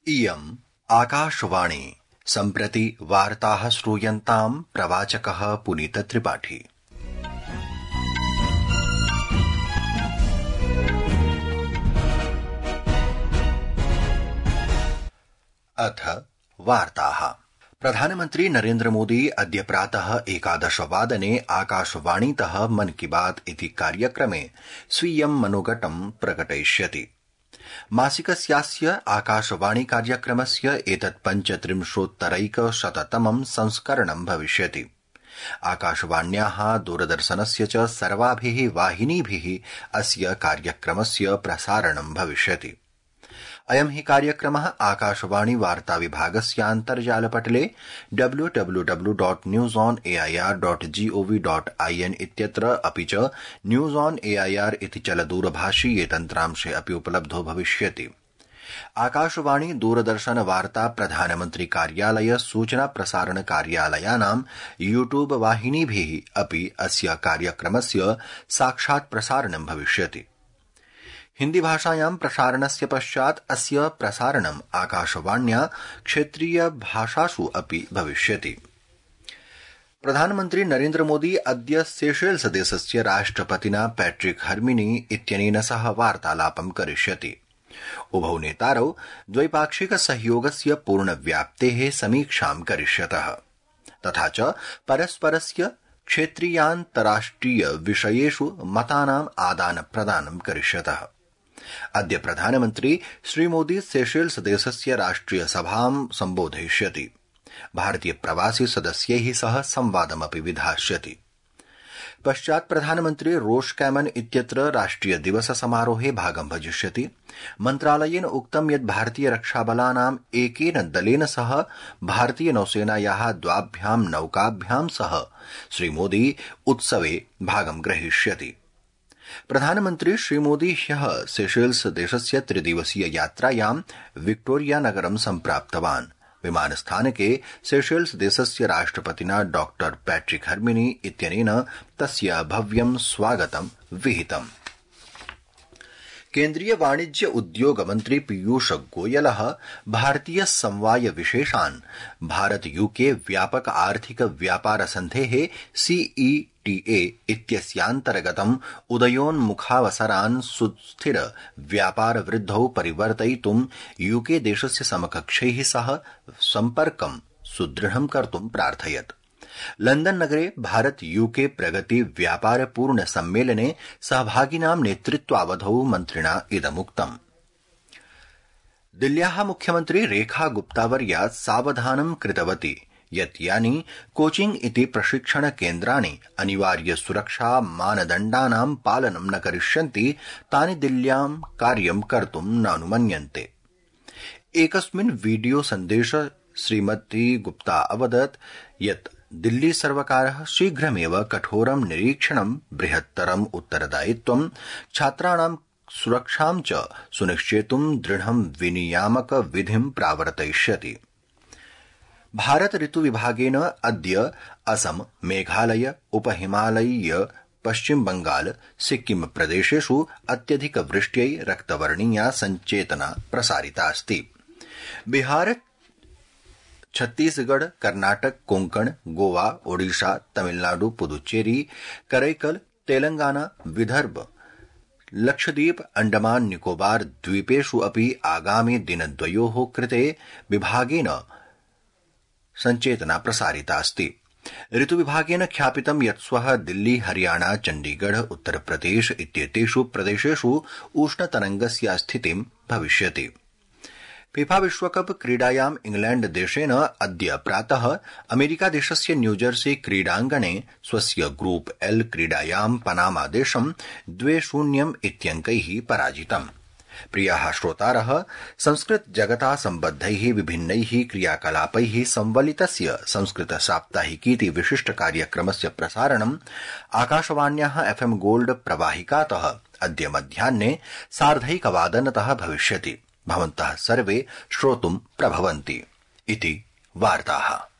इयम् आकाशवाणी सम्प्रति वार्ताः श्रूयन्ताम् प्रवाचकः पुनीत त्रिपाठी। अथ वार्ताः। प्रधानमन्त्री नरेन्द्र मोदी अद्य प्रातः 11 वादने आकाशवाणीतः मन की बात इति कार्यक्रमे स्वीयं मनोगतं प्रकटयिष्यति। मासिकस्यास्य आकाशवाणी कार्यक्रमस्य एतत् 35,100तमं संस्करणं भविष्यति। आकाशवाण्याः दूरदर्शनस्य च सर्वाभिः वाहिनीभिः अस्य कार्यक्रमस्य प्रसारणं भविष्यति। अयं हि कार्यक्रमः आकाशवाणी वार्ता विभागस्यान्तर्जालपटले www.newsonair.gov.in इत्यत्र अपि च न्यूज ऑन एआईआर इति चलदूरभाषीये तन्त्रांशे अपि उपलब्धो भविष्यति। आकाशवाणी दूरदर्शन वार्ता प्रधानमन्त्री कार्यालय सूचना प्रसारण कार्यालयानां यूट्यूब वाहिनीभिः अपि अस्य कार्यक्रमस्य साक्षात् प्रसारणं भविष्यति। हिन्दी भाषायां प्रसारणस्य पश्चात् अस्य प्रसारणं आकाशवाण्या क्षेत्रीय भाषासु अपि भविष्यति। प्रधानमन्त्री नरेन्द्र मोदी अद्य सेशेल्स देशस्य राष्ट्रपतिना पैट्रिक हर्मिनी इत्यनेन सह वार्तालापं करिष्यति। उभौ नेतारौ द्वैपाक्षिक सहयोगस्य पूर्णव्याप्तेः समीक्षां करिष्यतः तथा च परस्परस्य क्षेत्रीयान्तराष्ट्रिय विषयेषु मतानाम् आदानप्रदानं करिष्यतः। अद्य प्रधानमन्त्री श्रीमोदी सेशेल्स देशस्य राष्ट्रिय सभां सम्बोधयिष्यति। भारतीय प्रवासी सदस्यैः सह संवादमपि विधास्यति। पश्चात् प्रधानमन्त्री रोष कैमन इत्यत्र राष्ट्रिय दिवस समारोहे भागं भजिष्यति। मन्त्रालयेन उक्तं यत् भारतीय रक्षाबलानाम् एकेन दलेन सह भारतीय नौसेनायाः द्वाभ्यां नौकाभ्यां सह श्रीमोदी उत्सवे भागं ग्रहीष्यति। प्रधानमन्त्री श्रीमोदी ह्यः सेशेल्स देशस्य त्रिदिवसीय यात्रायां विक्टोरिया नगरं सम्प्राप्तवान्। विमानस्थानके सेशेल्स देशस्य राष्ट्रपतिना डॉ पैट्रिक हर्मिनी इत्यनेन तस्य भव्यं स्वागतं विहितम्। केन्द्रीय वाणिज्य उद्योग मन्त्री पीयूष गोयलः भारतीय समवाय विशेषान् भारत यूके व्यापक आर्थिक व्यापार सन्धेः CETA इत्यस्यान्तर्गतम् उदयोन्मुखावसरान् सुस्थिर व्यापार वृद्धौ परिवर्तयितुं यूके देशस्य समकक्षैः सह सम्पर्कं सुदृढं कर्तुं प्रार्थयत्। लंदन नगरे भारत यूके प्रगति व्यापार पूर्ण सम्मेलने सहभागिनां नेतृत्वावधौ मन्त्रिणा इदमुक्तम्। दिल्ल्याः मुख्यमन्त्री रेखा गुप्तावर्या सावधानं कृतवती यत् यानि कोचिंग इति प्रशिक्षण केन्द्राणि अनिवार्य सुरक्षा मानदण्डानां पालनं न करिष्यन्ति तानि दिल्ल्यां कार्यं कर्तुं नानुमन्यन्ते। एकस्मिन् वीडियो सन्देशे श्रीमती गुप्ता अवदत् यत् दिल्ली सर्वकारः शीघ्रमेव कठोरं निरीक्षणं बृहत्तरम् उत्तरदायित्वं छात्राणां सुरक्षां च सुनिश्चेतुं दृढं विनियामक विधिं प्रावर्तयिष्यति। भारत ऋतु विभागेन अद्य असम, मेघालय, उपहिमालयीय पश्चिम बंगाल, सिक्किम प्रदेशेषु अत्यधिक वृष्ट्यै रक्तवर्णीया सञ्चेतना प्रसारिता अस्ति। बिहार, छत्तीसगढ़, कर्नाटक, कोंकण, गोवा, ओडिशा, तमिलनाडु, पुदुच्चेरी, करैकल, तेलंगाना, विदर्भ, लक्षद्वीप, अंडमान निकोबार द्वीपेषु अपि आगामि दिनद्वयोः कृते विभागेन सञ्चेतना प्रसारिता अस्ति। ऋतुविभागेन ख्यापितं यत् श्वः दिल्ली, हरियाणा, चण्डीगढ़, उत्तरप्रदेश इत्येतेषु प्रदेशेषु उष्णतरङ्गस्य स्थितिं भविष्यति। फीफा विश्वकप क्रीडायाम् इंग्लैण्ड देशेन अद्य प्रातः अमेरिका देशस्य न्यूजर्सी क्रीडाङ्गणे स्वस्य ग्रुप L क्रीडायां पनामा देशं 2-0 इत्यङ्कैः पराजितम्। प्रियाः श्रोतारः, संस्कृत जगता सम्बद्धैः विभिन्नैः क्रियाकलापैः संवलितस्य संस्कृत साप्ताहिकीति विशिष्ट कार्यक्रमस्य प्रसारणम् आकाशवाण्याः FM गोल्ड प्रवाहिकातः अद्य मध्याह्ने 1:30 भविष्यति। भवन्तः सर्वे श्रोतुं प्रभवन्ति इति वार्ताः।